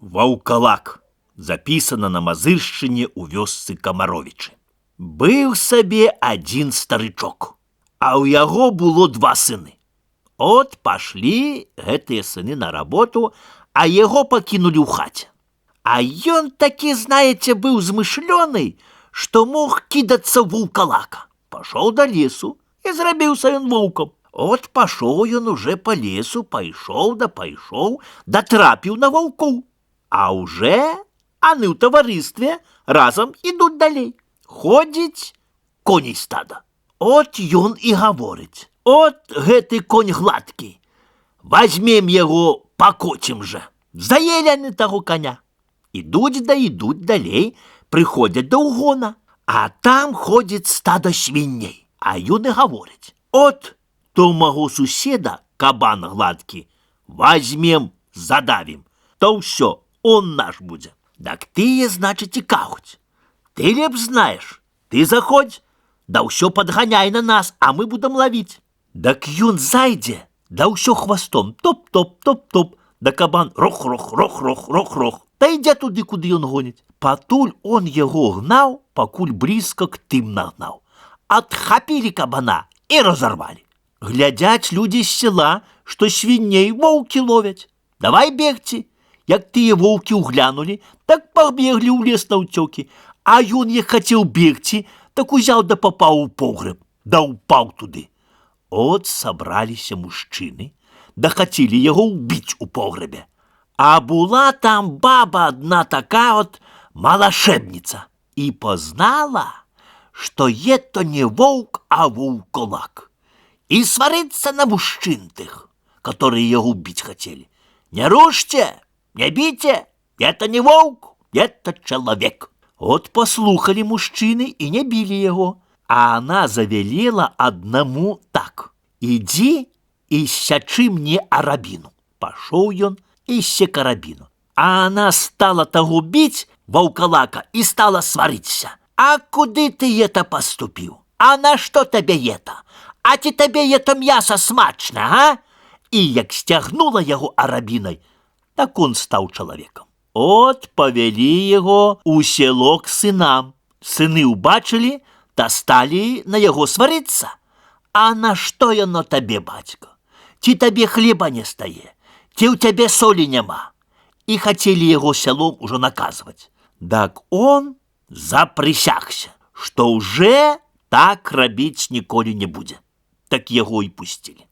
Ваўкалак запісана на Мазыршчыне ў вёсцы Камаровічы. Быў сабе адзін старычок, а ў яго было два сыны. От пашлі гэтыя сыны на работу, а яго пакінулі ў хаце. А ён такі, знаеце, быў змышлёны, што мог кідацца ў ваўкалака. Пашоў да лесу і зрабіўся ён воўкам. От пашоў ён уже па лесу, пайшоў, датрапіў на ваўкоў. А уже аны ў таварыстве разам ідуць далей. Ходзіць коней стада. От ён і гаворыць: от гэты конь гладкі, вазьмем яго, пакоцім жа. Заелі яны таго коня. Ідуць далей, прыходзяць да ўгона, а там ходзіць стада свіней. А ён і гаворыць: от то маго суседа кабан гладкі, вазьмем, задавім, то ўсё, он наш будзе. Так тыя, значыць, і кажуць: ты лепш знаеш, ты заходзь, да ўсё падганяй на нас, а мы будам лавіць. Так ён зайдзе, да ўсё хвастом топ-топ, топ-топ, да кабан рох-рох, рох-рох, рох-рох, та ідзе туды, куды ён гоніць. Патуль он яго гнаў, пакуль блізка к тым нагнаў. Адхапілі кабана і разарвалі. Глядзяць людзі з села, што свіней воўкі ловяць. Давай бегці. Як тыя воўкі ўглянулі, так пабеглі ў лес наўцёкі. А ён, як хацеў бегці, так узяў да папаў у погрэб, да ўпаў туды. От сабраліся мужчыны, да хацелі яго ўбіць у погрэбе. А була там баба адна такая от малашэбніца і пазнала, што то не воўк, а ваўкалак. І сварыцца на мужчын тых, которые яго ўбіць хацелі. Не рушце! Не бейте, это не волк, это человек. Вот послухали мужчины и не били его, а она завелела одному так: иди и сячи мне арабину. Пошел он и се карабину. А она стала того бить, ваўкалака, и стала свариться. А куды ты это поступил? А на что тебе это? А ти тебе это мясо смачно, а? И як стягнула его арабиной, так он стаў чалавекам. От павялі яго ў село к сынам. Сыны ўбачылі, та сталі на яго сварыцца. А на што яно табе, бацька? Ці табе хлеба не стае? Ці ў цябе солі няма? І хацелі яго сялом ужо наказваць. Так он запрысягся, што ўжо так рабіць ніколі не будзе. Так яго і пусцілі.